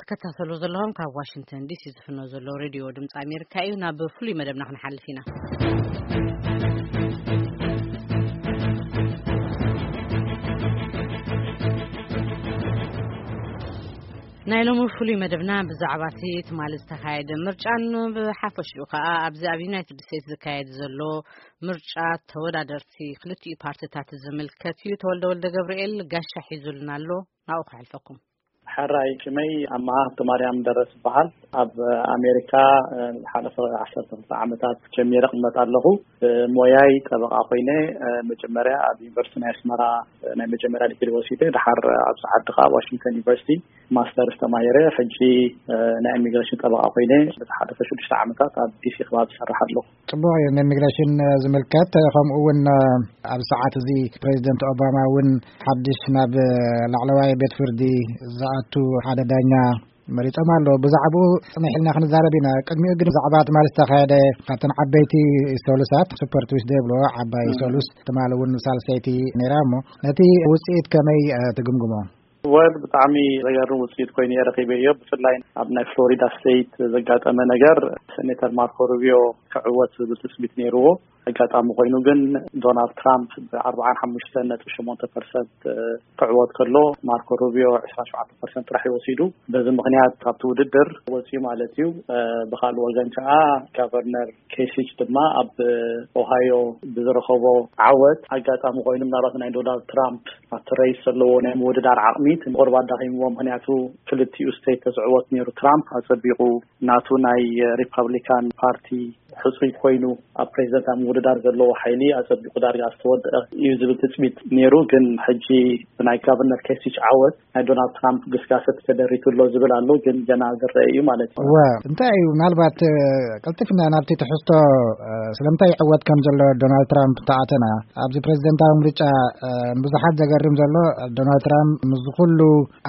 ትከታተሉ ዘለኹም ካብ ዋሽንግተን ዲሲ ዝፍኖ ዘሎ ሬድዮ ድምፂ ኣሜሪካ እዩ። ናብ ፍሉይ መደብና ክንሓልፍ ኢና። ናይ ሎሚ ፍሉይ መደብና ብዛዕባ እቲ ትማሊ ዝተኻየደ ምርጫን ብሓፈሽኡ ከኣ ኣብዚ ኣብ ዩናይትድ ስቴትስ ዝካየድ ዘሎ ምርጫ ተወዳደርቲ ክልቲኡ ፓርቲታት ዝምልከት እዩ። ተወልደ ወልደ ገብርኤል ጋሻ ሒዙልና ኣሎ። ናብኡ ከሕልፈኩም። ሕራይ ሽመይ ኣማሃ ሃብተማርያም ደረስ ይበሃል። ኣብ ኣሜሪካ፣ እ፣ ዝሓለፈ ዓሰርተ ክልተ ዓመታት ጀሚረ እቕመጥ ኣለኹ። እ፣ ሞያይ ጠበቓ ኮይነ፣ እ፣ መጀመርያ ኣብ ዩኒቨርሲቲ ናይ ኣስመራ፣ እ፣ ናይ መጀመርያ ዲግሪ ወሲደ፣ ድሓር ኣብዚ ዓዲ ከኣ ኣብ ዋሽንግተን ዩኒቨርሲቲ ማስተርስ ተማሂረ። ሕጂ፣ እ፣ ናይ ኢሚግሬሽን ጠበቓ ኮይነ ንዝሓለፈ ሽዱሽተ ዓመታት ኣብ ዲሲ ከባቢ ዝሰርሕ ኣለኹ። ጽቡቕ እዩ። ንኢሚግሬሽን ዝምልከት፣ ከምኡ እውን ኣብዚ ሰዓት እዚ ፕሬዚደንት ኦባማ እውን ሓድሽ ናብ ላዕለዋይ ቤት ፍርዲ ዝኣቱ ሓደ ዳኛ መሪጾም ኣለዉ። ብዛዕባኡ ጽንሕ ኢልና ክንዛረብ ኢና። ቅድሚኡ ግን ብዛዕባ ትማሊ ዝተኻየደ ካብተን ዓበይቲ ሰሉሳት፣ ሱፐር ትዊስደይ ይብልዎ፣ ዓባይ እም። ሰሉስ፣ ትማሊ እውን ሳልሰይቲ ነይራ እሞ፣ ነቲ ውጽኢት ከመይ፣ እ፣ ትግምግሞ? ወል ብጣዕሚ ዘገርም ውፅኢት ኮይኑ እየ ረኺበዮ። ብፍላይ ኣብ ናይ ፍሎሪዳ ስቴት ዘጋጠመ ነገር፣ ሴኔተር ማርኮ ሩቢዮ ክዕወት ዝብል ትፅቢት ነይርዎ። ኣጋጣሚ ኮይኑ ግን ዶናልድ ትራምፕ ብኣርባዓን ሓሙሽተን ነጥቢ ሸሞንተ ፐርሰንት ክዕወት ከሎ፣ ማርኮ ሩቢዮ ዕስራን ሸውዓተን ፐርሰንት ጥራሕ እዩ ወሲዱ። በዚ ምኽንያት ካብቲ ውድድር ወፂኡ ማለት እዩ። ብኻልእ ወገን ከዓ ጋቨርነር ኬሲች ድማ ኣብ ኦሃዮ ብዝረኸቦ ዓወት፣ ኣጋጣሚ ኮይኑ ምናልባት ናይ ዶናልድ ትራምፕ ኣብቲ ሬስ ዘለዎ ናይ ምውድዳር ዓቕሚ እቲ ቁሩብ ኣዳኺምዎ። ምኽንያቱ ክልቲኡ ስቴት ተዝዕወት ነይሩ፣ ትራምፕ ኣጸቢቑ ናቱ ናይ ሪፐብሊካን ፓርቲ ሕጹይ ኮይኑ ኣብ ፕሬዚደንታዊ ምውድዳር ዘለዎ ሓይሊ ኣጸቢቑ ዳርጋ ዝተወደአ እዩ ዝብል ትጽቢት ነይሩ። ግን ሕጂ ብናይ ጋቨርነር ኬሲች ዓወት ናይ ዶናልድ ትራምፕ ግስጋሰ ተደሪቱ ኣሎ ዝብል ኣሎ፣ ግን ገና ዝረአ እዩ ማለት እዩ። እወ፣ እንታይ እዩ ምናልባት፣ እ፣ ቀልጢፍና ናብቲ ትሕዝቶ፣ እ፣ ስለምንታይ ይዕወት ከም ዘሎ ዶናልድ ትራምፕ እንተኣተና፣ ኣብዚ ፕሬዚደንታዊ ምርጫ፣ እ፣ ንብዙሓት ዘገርም ዘሎ፣ ዶናልድ ትራምፕ ምስ ኩሉ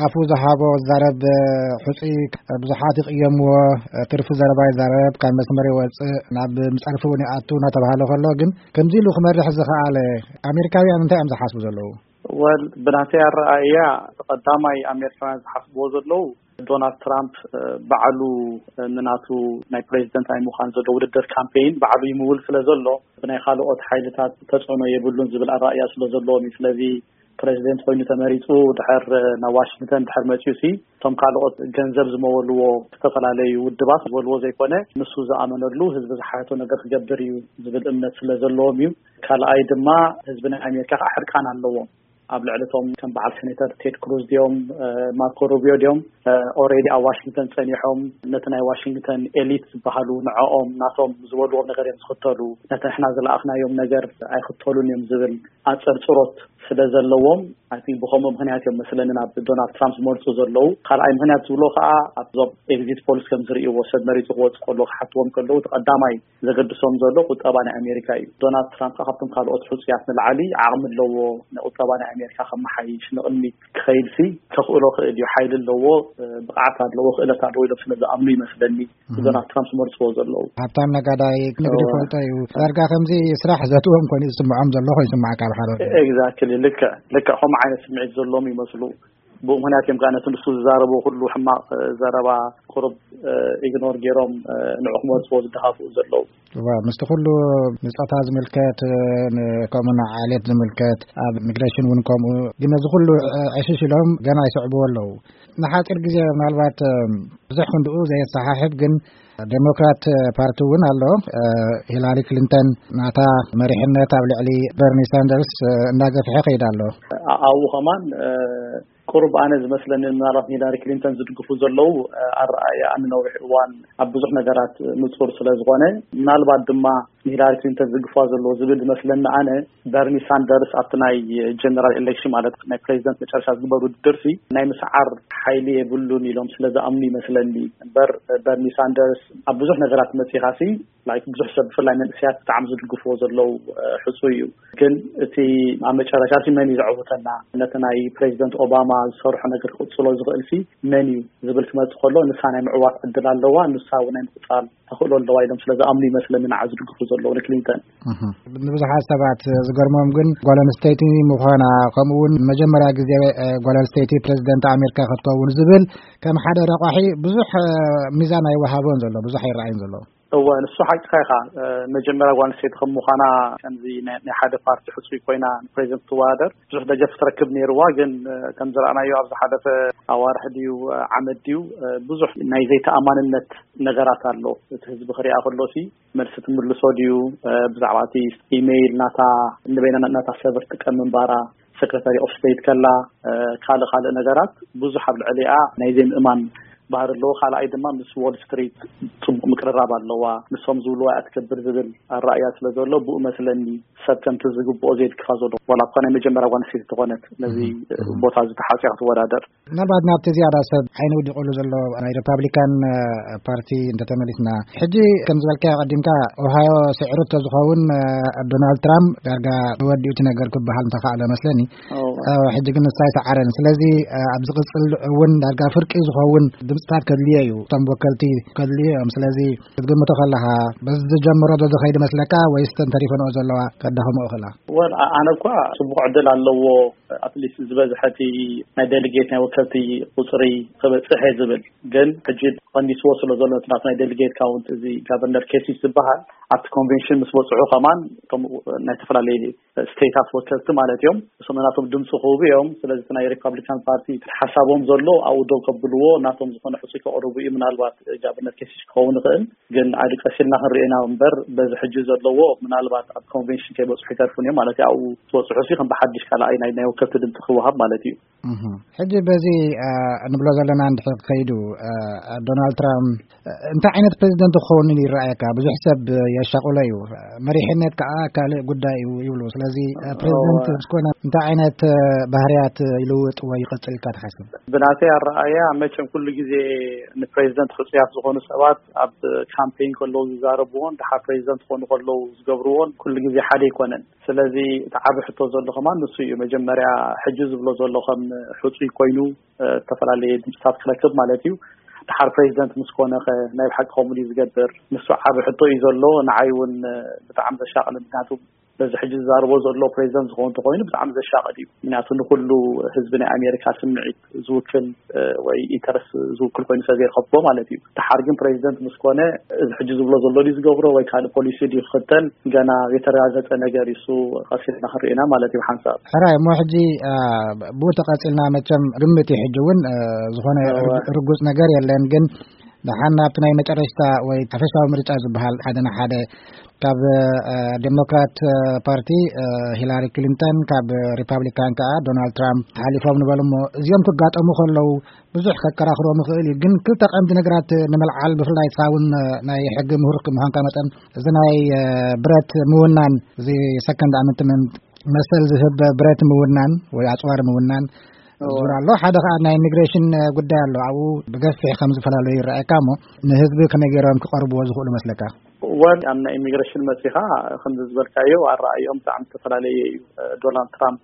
ኣፉ ዝሃቦ ዝዛረብ፣ እ፣ ሕጹይ፣ እ፣ ብዙሓት ይቕየምዎ፣ እ፣ ትርፊ ዘረባ ይዛረብ፣ ካብ መስመር ይወጽእ፣ ናብ ምጸርፊ እውን ይኣቱ እናተባህለ ከሎ፣ ግን ከምዚ ኢሉ ክመርሕ ዝኸኣለ ኣሜሪካውያን እንታይ እዮም ዝሓስቡ ዘለዉ? ወል፣ ብናተይ ኣረኣእያ፣ ቀዳማይ ኣሜሪካውያን ዝሓስብዎ ዘለዉ፣ ዶናልድ ትራምፕ፣ እ፣ ባዕሉ፣ እ፣ ንናቱ ናይ ፕሬዚደንት ናይ ምዃን ዘሎ ውድድር ካምፔይን ባዕሉ ይምውል ስለ ዘሎ፣ ብናይ ካልኦት ሓይልታት ተጽዕኖ የብሉን ዝብል ኣረኣእያ ስለ ዘለዎም እዩ። ስለዚ ፕሬዚደንት ኮይኑ ተመሪጹ ድሕር፣ እ፣ ናብ ዋሽንግተን ድሕር መጺኡ ሲ፣ እቶም ካልኦት ገንዘብ ዝመወልዎ ዝተፈላለዩ ውድባት ዝበልዎ ዘይኮነ፣ ንሱ ዝኣመነሉ ህዝቢ ዝሓተቶ ነገር ክገብር እዩ ዝብል እምነት ስለ ዘለዎም እዩ። ካልኣይ ድማ ህዝቢ ናይ ኣሜሪካ ከዓ ሕርቃን ኣለዎም። ኣብ ልዕሊ እቶም ከም በዓል ሴኔተር ቴድ ክሩዝ ድዮም፣ እ፣ ማርኮ ሩቢዮ ድዮም፣ እ፣ ኦልሬዲ ኣብ ዋሽንግተን ጸኒሖም ነቲ ናይ ዋሽንግተን ኤሊት ዝበሃሉ ንዕኦም ናቶም ዝበልዎም ነገር እዮም ዝኽተሉ። ነቲ ንሕና ዝለኣኽናዮም ነገር ኣይኽተሉን እዮም ዝብል ኣጸርጽሮት ስለ ዘለዎም፣ ኣይ ቲንክ ብኸምኡ ምኽንያት እዮም መስለኒ ናብ ዶናልድ ትራምፕ ዝመርጹ ዘለዉ። ካልኣይ ምኽንያት ዝብሎ ከዓ ኣብዞም ኤግዚት ፖልስ ከም ዝርእይዎ፣ ሰብ መሪጹ ክወጽእ ከሎ ክሓትዎም ከለዉ፣ እቲ ቀዳማይ ዘገድሶም ዘሎ ቁጠባ ናይ ኣሜሪካ እዩ። ዶናልድ ትራምፕ ከዓ ካብቶም ካልኦት ሕጹያት ንላዕሊ ዓቕሚ ኣለዎ፣ ንቁጠባ ናይ ኣሜሪካ ከመሓይሽ፣ ንቕድሚት ክኸይድሲ ከኽእሎ ክእል እዩ። ሓይሊ ኣለዎ፣ ብቕዓት ኣለዎ፣ ክእለት ኣለዎ ኢሎም ስለ ዝኣምኑ ይመስለኒ እህ። ዶናልድ ትራምፕ ዝመርጽዎ ዘለዉ። ሃብታም ነጋዳይ፣ ንግዲ እወ። ይፈልጦ እዩ። ዳርጋ ከምዚ ስራሕ ዘትዎም ኮይኑ ዝስምዖም ዘሎ ኮይኑ ይስምዓካ ብሓደ ወገን። ኤግዛክትሊ፣ ልክዕ፣ ልክዕ ከምኡ ዓይነት ስምዒት ዘለዎም ይመስሉ። ብኡ ምኽንያት እዮም ከዓ ነቲ ንሱ ዝዛረቦ ኩሉ ሕማቕ፣ እ፣ ዘረባ ቁሩብ፣ እ፣ ኢግኖር ገይሮም፣ እ፣ ንዑ ክመርጽዎ ዝደኻፍኡ ዘለዉ። እወ፣ ምስቲ ኩሉ ንጾታ ዝምልከት፣ እ፣ ን-፣ ከምኡ ንዓሌት ዝምልከት፣ ኣብ ኢሚግሬሽን እውን ከምኡ፣ ግን ነዚ ኩሉ፣ እ፣ ዕሽሽ ኢሎም ገና ይስዕብዎ ኣለዉ። ንሓጺር ግዜ ምናልባት፣ እ፣ ብዙሕ ክንድኡ ዘየሰሓሕብ ግን ዴሞክራት ፓርቲ እውን ኣሎ። እ፣ ሂላሪ ክሊንተን ናታ መሪሕነት ኣብ ልዕሊ በርኒ ሳንደርስ፣ እ፣ እናገፍሐ ይኸይድ ኣሎ። ኣ-፣ ኣብኡ ከማን፣ እ፣ ቁሩብ ኣነ ዝመስለኒ ምናልባት ሂላሪ ክሊንተን ዝድግፉ ዘለዉ፣ እ፣ ኣረኣእያ ንነዊሕ እዋን ኣብ ብዙሕ ነገራት ንጹር ስለ ዝኾነ፣ ምናልባት ድማ ንሂላሪ ክሊንተን ዝድግፋ ዘለዉ ዝብል ዝመስለኒ ኣነ፣ በርኒ ሳንደርስ ኣብቲ ናይ ጀነራል ኤሌክሽን ማለት ናይ ፕሬዚደንት መጨረሻ ዝግበር ውድድር ሲ ናይ ምስዓር ሓይሊ የብሉን ኢሎም ስለ ዝኣምኑ ይመስለኒ። እምበር በርኒ ሳንደርስ ኣብ ብዙሕ ነገራት መጺኻ ሲ ላይክ ብዙሕ ሰብ ብፍላይ መንእሰያት ብጣዕሚ ዝድግፍዎ ዘለዉ ሕፁይ እዩ። ግን እቲ ኣብ መጨረሻ ሲ መን እዩ ዘዕውተና? ነቲ ናይ ፕሬዚደንት ኦባማ ዝሰርሖ ነገር ክቕፅሎ ዝኽእል ሲ መን እዩ ዝብል ክመፅእ ከሎ፣ ንሳ ናይ ምዕዋት ዕድል ኣለዋ፣ ንሳ እውን ናይ ምቕፃል ተኽእሎ ኣለዋ ኢሎም ስለ ዝኣምኑ ይመስለኒ ንዓ ዝድግፉ ዘለዉ ንክሊንተን። ንብዙሓት ሰባት ዝገርሞም ግን ጓል ኣንስተይቲ ምዃና፣ ከምኡ እውን መጀመርያ ግዜ ጓል ኣንስተይቲ ፕሬዚደንት ኣሜሪካ ክትከውን ዝብል ከም ሓደ ረቋሒ ብዙሕ ሚዛን ኣይወሃቦን ዘሎ፣ ብዙሕ ኣይረኣይን ዘሎ። እወ፣ ንሱ ሓቅኻ ኢኻ። መጀመርያ ጓል ኣንስተይቲ ከም ምዃና፣ ከምዚ ናይ ሓደ ፓርቲ ሕፁይ ኮይና ንፕሬዚደንት ትወዳደር ብዙሕ ደገፍ ትረክብ ነይርዋ። ግን ከም ዝረኣናዮ ኣብ ዝሓለፈ ኣዋርሕ ድዩ ዓመት ድዩ ብዙሕ ናይ ዘይተኣማንነት ነገራት ኣሎ። እቲ ህዝቢ ክሪኣ ከሎ ሲ መልሲ ትምልሶ ድዩ? ብዛዕባ እቲ ኢሜይል ናታ፣ ንበይና ናታ ሰበር ትጥቀም ምንባራ፣ ሰክረታሪ ኦፍ ስቴት ከላ፣ ካልእ ካልእ ነገራት ብዙሕ ኣብ ልዕሊኣ ናይ ዘይምእማን ባህሪ ኣለዎ። ካልኣይ ድማ ምስ ዎል ስትሪት ፅቡቕ ምቅርራብ ኣለዋ። ንሶም ዝብልዋ እያ ትገብር ዝብል ኣረኣያ ስለ ዘሎ፣ ብኡ መስለኒ ሰብ ከምቲ ዝግብኦ ዘይድግፋ ዘሎ፣ ዋላ እኳ ናይ መጀመርያ ጓል ኣንስተይቲ ተኾነት ነዚ ቦታ እዚ ተሓፂያ ክትወዳደር። ምናልባት ናብቲ ዝያዳ ሰብ ዓይኒ ውዲቑሉ ዘሎ ናይ ሪፓብሊካን ፓርቲ እንተተመሊስና፣ ሕጂ ከም ዝበልካዮ ቀዲምካ ኦሃዮ ስዕሩ እንተዝኸውን ዶናልድ ትራምፕ ዳርጋ ወዲኡ እቲ ነገር ክበሃል እንተኸኣለ መስለኒ። ሕጂ ግን ንሳ ኣይሰዓረን። ስለዚ ኣብ ዝቕፅል እውን ዳርጋ ፍርቂ ዝኸውን ድምፅታት ከድልዮ እዩ፣ እቶም ወከልቲ ከድልዮ እዮም። ስለዚ ክትግምቶ ከለኻ በዚ ዝጀምሮ ዶ ዝኸይድ መስለካ ወይስ ተን ተሪፈንኦ ዘለዋ ከዳኸምኦ ክእላ? ወል ኣነ እኳ ፅቡቕ ዕድል ኣለዎ። ኣትሊስት ዝበዝሐ እቲ ናይ ዴሊጌት ናይ ወከልቲ ቁፅሪ ክበፅሕ እየ ዝብል። ግን ሕጂ ቀኒስዎ ስለ ዘሎ እቲ ናቱ ናይ ዴሊጌት ካውንት፣ እዚ ጋቨርነር ኬሲስ ዝበሃል ኣብቲ ኮንቬንሽን ምስ በፅሑ ከማን እቶም ናይ ዝተፈላለዩ ስቴታት ወከልቲ ማለት እዮም፣ እሶም ናቶም ድምፂ ክህቡ እዮም። ስለዚ እቲ ናይ ሪፓብሊካን ፓርቲ ሓሳቦም ዘሎ ኣብኡ ደው ከብልዎ፣ ናቶም ዝኾነ ሕፁይ ከቕርቡ እዩ። ምናልባት ጋቨርነር ኬሲስ ክኸውን ይኽእል። ግን ኣደ ቀስ ኢልና ክንሪኦ ኢና እምበር በዚ ሕጂ ዘለዎ ምናልባት ኣብ ኮንቬንሽን ከይበፅሑ ይተርፉን እዮም ማለት እዩ። ኣብኡ ዝበፅሑ ሲ ከም ብሓድሽ ካልኣይ ናይ ናይ ወከልቲ ድምፂ ክወሃብ ማለት እዩ። ሕጂ በዚ ንብሎ ዘለና እንድሕር ከይዱ ዶናልድ ትራምፕ እንታይ ዓይነት ፕሬዚደንት ክኸውን ይረኣየካ? ብዙሕ ሰብ የሻቁሎ እዩ። መሪሕነት ከዓ ካልእ ጉዳይ እዩ ይብሉ። ስለዚ ፕሬዚደንት ዝኮነ እንታይ ዓይነት ባህርያት ይልውጥ ወይ ይቐፅል ኢልካ ትሓስብ? ብናተይ ኣረኣያ መቸም ኩሉ ግዜ ንፕሬዚደንት ሕፁያት ዝኾኑ ሰባት ኣብ ካምፔን ከለዉ ዝዛረብዎን ድሓር ፕሬዚደንት ክኾኑ ከለዉ ዝገብርዎን ኩሉ ግዜ ሓደ ኣይኮነን። ስለዚ እቲ ዓቢ ሕቶ ዘሎ ከማን ንሱ እዩ። መጀመርያ ሕጂ ዝብሎ ዘሎ ከም ሕፁይ ኮይኑ ዝተፈላለየ ድምፅታት ክረክብ ማለት እዩ። ድሓር ፕሬዚደንት ምስ ኮነ ከ ናይ ብሓቂ ከምኡ ድዩ ዝገብር? ንሱ ዓቢ ሕቶ እዩ ዘሎ። ንዓይ እውን ብጣዕሚ ዘሻቕል፣ ምክንያቱ በዚ ሕጂ ዝዛረቦ ዘሎ ፕሬዚደንት ዝኸውን እንተኮይኑ ብጣዕሚ ዘሻቕል እዩ። ምክንያቱ ንኩሉ ህዝቢ ናይ ኣሜሪካ ስምዒት ዝውክል ወይ ኢንተረስት ዝውክል ኮይኑ ስለ ዘይረኸብኩዎ ማለት እዩ። ድሓር ግን ፕሬዚደንት ምስ ኮነ እዚ ሕጂ ዝብሎ ዘሎ ድዩ ዝገብሮ ወይ ካልእ ፖሊሲ ድዩ ክኽተል ገና ዘይተረጋገፀ ነገር እዩ። እሱ ቀስ ኢልና ክንርኢ ኢና ማለት እዩ ብሓንሳብ። ሕራይ እሞ ሕጂ ብኡ ተቐፂልና መቸም ግምት እዩ ሕጂ እውን ዝኾነ ርጉፅ ነገር የለን። ግን ደሓን ናብቲ ናይ መጨረሽታ ወይ ሓፈሻዊ ምርጫ ዝበሃል ሓደ ንሓደ ካብ ዴሞክራት ፓርቲ ሂላሪ ክሊንተን ካብ ሪፓብሊካን ከዓ ዶናልድ ትራምፕ ተሓሊፎም ንበል እሞ እዚኦም ክጋጠሙ ከለዉ ብዙሕ ከከራኽሮም ይኽእል እዩ። ግን ክልተ ቀንዲ ነገራት ንምልዓል ብፍላይ ንስኻ እውን ናይ ሕጊ ምሁር ምዃንካ መጠን እዚ ናይ ብረት ምውናን እዚ ሰከንድ ኣመንትመንት መሰል ዝህብ ብረት ምውናን ወይ ኣፅዋር ምውናን ዙር ኣሎ። ሓደ ከዓ ናይ ኢሚግሬሽን ጉዳይ ኣሎ። ኣብኡ ብገፊሕ ከም ዝፈላለዩ ይረኣየካ እሞ ንህዝቢ ከመይ ገይሮም ክቐርብዎ ዝኽእሉ መስለካ? ወል ኣብ ናይ ኢሚግሬሽን መፂኻ ከምዚ ዝበልካዮ ኣረኣዮም ብጣዕሚ ዝተፈላለየ እዩ። ዶናልድ ትራምፕ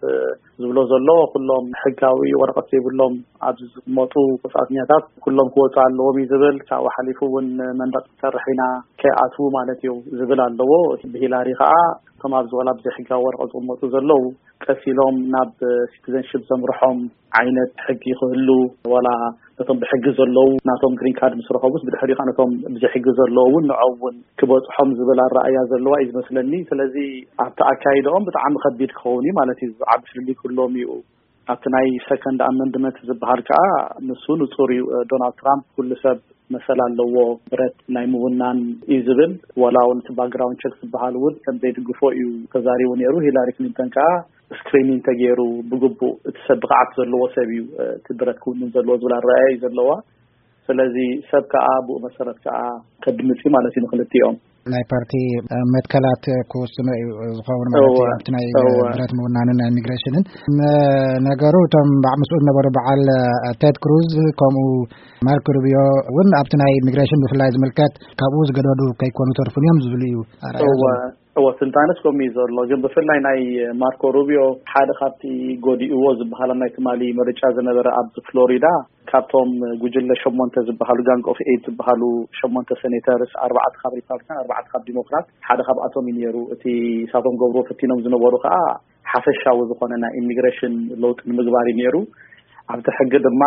ዝብሎ ዘሎ ኩሎም ሕጋዊ ወረቐት ዘይብሎም ኣብዚ ዝቕመጡ ወፃእተኛታት ኩሎም ክወፁ ኣለዎም እዩ ዝብል። ካብኡ ሓሊፉ እውን መንደቕ ክሰርሕ ኢና ከይኣትዉ ማለት እዩ ዝብል ኣለዎ። ብሂላሪ ከዓ እቶም ኣብዚ ወላ ብዘይሕጋዊ ወረቐት ዝቕመጡ ዘለዉ ቀስ ኢሎም ናብ ሲቲዘንሽፕ ዘምርሖም ዓይነት ሕጊ ክህሉ፣ ዋላ ነቶም ብሕጊ ዘለዉ ናቶም ግሪን ካርድ ምስ ረኸቡስ ብድሕሪኡ ከዓ ነቶም ብዘይ ሕጊ ዘለዉ እውን ንዖም እውን ክበፅሖም ዝብል ኣረኣያ ዘለዋ እዩ ዝመስለኒ። ስለዚ ኣብቲ ኣካይድኦም ብጣዕሚ ከቢድ ክኸውን እዩ ማለት እዩ። ዓቢ ፍልልይ ክህልዎም እዩ። ኣብቲ ናይ ሰከንድ ኣመንድመንት ዝበሃል ከዓ ንሱ ንፁር እዩ። ዶናልድ ትራምፕ ኩሉ ሰብ መሰል ኣለዎ ብረት ናይ ምውናን እዩ ዝብል። ዋላ እውን እቲ ባክግራውንድ ቸክ ዝበሃል እውን ከም ዘይድግፎ እዩ ተዛሪቡ ነይሩ። ሂላሪ ክሊንተን ከዓ ስክሪኒንግ ተገይሩ ብግቡእ እቲ ሰብ ብቕዓት ዘለዎ ሰብ እዩ እቲ ብረት ክውንን ዘለዎ ዝብል ኣረኣያ እዩ ዘለዋ። ስለዚ ሰብ ከዓ ብኡ መሰረት ከዓ ከድምፅ እዩ ማለት እዩ ንክልቲኦም። ናይ ፓርቲ መትከላት ክውስኖ እዩ ዝኸውን ማለት እዩ። ኣብቲ ናይ ብረት ምውናንን ናይ ኢሚግሬሽንን ነገሩ፣ እቶም ባዕ ምስኡ ዝነበሩ በዓል ቴድ ክሩዝ ከምኡ ማርክ ሩቢዮ እውን ኣብቲ ናይ ኢሚግሬሽን ብፍላይ ዝምልከት ካብኡ ዝገደዱ ከይኮኑ ተርፉን እዮም ዝብሉ እዩ ኣርኣያ ዘሎ። እወ፣ ትንታነስ ከምኡ እዩ ዘሎ። ግን ብፍላይ ናይ ማርኮ ሩቢዮ ሓደ ካብቲ ጎዲእዎ ዝበሃል ኣብ ናይ ትማሊ ምርጫ ዝነበረ ኣብ ፍሎሪዳ ካብቶም ጉጅለ ሸሞንተ ዝበሃሉ፣ ጋንግ ኦፍ ኤይት ዝበሃሉ ሸሞንተ ሴኔተርስ፣ ኣርባዕተ ካብ ሪፓብሊካን ኣርባዕተ ካብ ዲሞክራት፣ ሓደ ካብኣቶም እዩ ነይሩ። እቲ ሳቶም ገብርዎ ፈቲኖም ዝነበሩ ከዓ ሓፈሻዊ ዝኾነ ናይ ኢሚግሬሽን ለውጢ ንምግባር እዩ ነይሩ። ኣብቲ ሕጊ ድማ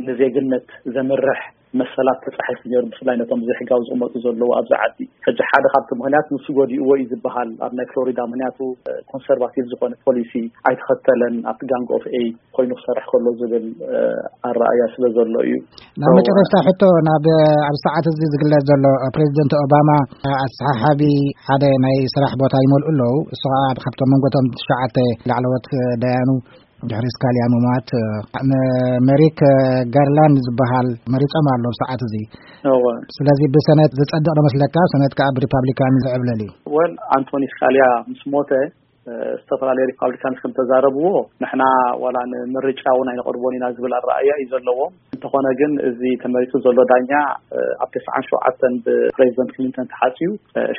ንዜግነት ዘምርሕ መሰላት ተፃሒፉ ነይሩ፣ ብፍላይ ነቶም ዘይሕጋዊ ዝቕመጡ ዘለዉ ኣብዚ ዓዲ። ሕጂ ሓደ ካብቲ ምክንያት ንሱ ጎዲእዎ እዩ ዝበሃል ኣብ ናይ ፍሎሪዳ፣ ምክንያቱ ኮንሰርቫቲቭ ዝኾነ ፖሊሲ ኣይተኸተለን ኣብቲ ጋንግ ኦፍ ኤይት ኮይኑ ክሰርሕ ከሎ ዝብል ኣረኣያ ስለ ዘሎ እዩ። ናብ መጨረሽታ ሕቶ፣ ናብ ኣብ ሰዓት እዚ ዝግለጽ ዘሎ ፕሬዚደንት ኦባማ ኣሰሓሓቢ ሓደ ናይ ስራሕ ቦታ ይመልኡ ኣለዉ። እሱ ከዓ ካብቶም መንጎቶም ትሽዓተ ላዕለዎት ደያኑ ድሕሪ ስካሊያ ምማት መሪክ ጋርላንድ ዝበሃል መሪጾም ኣሎ ኣብ ሰዓት እዚ። ስለዚ ብሰነት ዝጸድቕ ዶ መስለካ? ሰነት ከዓ ብሪፓብሊካን ዝዕብለል እዩ። ወል ኣንቶኒ ስካሊያ ምስ ሞተ ዝተፈላለዩ ሪፓብሊካንስ ከም ተዛረብዎ፣ ንሕና ዋላ ንምርጫ እውን ኣይንቐርቦን ኢና ዝብል ኣረኣያ እዩ ዘለዎም። እንተኾነ ግን እዚ ተመሪጹ ዘሎ ዳኛ ኣብ ተስዓን ሸውዓተን ብፕሬዚደንት ክሊንተን ተሓጽዩ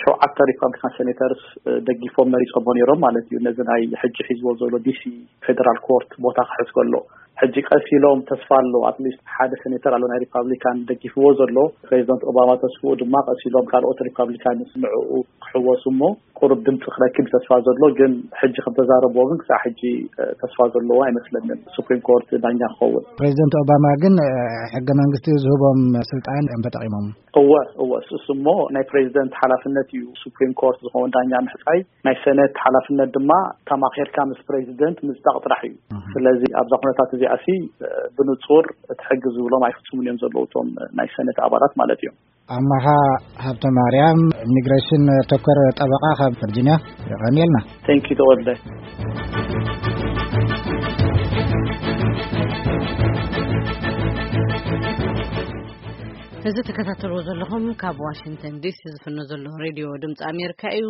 ሸውዓተ ሪፓብሊካን ሴኔተርስ ደጊፎም መሪጾሞ ነይሮም ማለት እዩ። ነዚ ናይ ሕጂ ሒዝዎ ዘሎ ዲሲ ፌደራል ኮርት ቦታ ክሕዝ ከሎ ሕጂ ቀስ ኢሎም ተስፋ ኣሎ፣ ኣትሊስት ሓደ ሴኔተር ኣሎ ናይ ሪፓብሊካን ደጊፍዎ ዘሎ። ፕሬዚደንት ኦባማ ተስፍኡ ድማ ቀስ ኢሎም ካልኦት ሪፓብሊካን ንዕኡ ክሕወሱ እሞ ቁሩብ ድምፂ ክረክብ ተስፋ ዘሎ፣ ግን ሕጂ ከም ተዛረብዎ ግን ክሳዕ ሕጂ ተስፋ ዘለዎ ኣይመስለንን ሱፕሪም ኮርት ዳኛ ክኸውን። ፕሬዚደንት ኦባማ ግን ሕገ መንግስቲ ዝህቦም ስልጣን እዮም ተጠቂሞም። እወ እወ፣ እሱ እሞ ናይ ፕሬዚደንት ሓላፍነት እዩ ሱፕሪም ኮርት ዝኸውን ዳኛ ምሕፃይ። ናይ ሰነት ሓላፍነት ድማ ተማኺርካ ምስ ፕሬዚደንት ምፅዳቕ ጥራሕ እዩ። ስለዚ ኣብዛ ኩነታት እዚኣ ሲ ብንፁር እቲ ሕጊ ዝብሎም ኣይፍፅሙን እዮም ዘለዉ እቶም ናይ ሰነት ኣባላት ማለት እዮም። ኣማሃ ሃብተ ማርያም፣ ኢሚግሬሽን ተኮር ጠበቃ ካብ ቨርጂኒያ፣ የቐንየልና። ቴንኪ ተወልደ። እዚ ተከታተልዎ ዘለኹም ካብ ዋሽንግተን ዲሲ ዝፍኖ ዘሎ ሬድዮ ድምፂ ኣሜሪካ እዩ።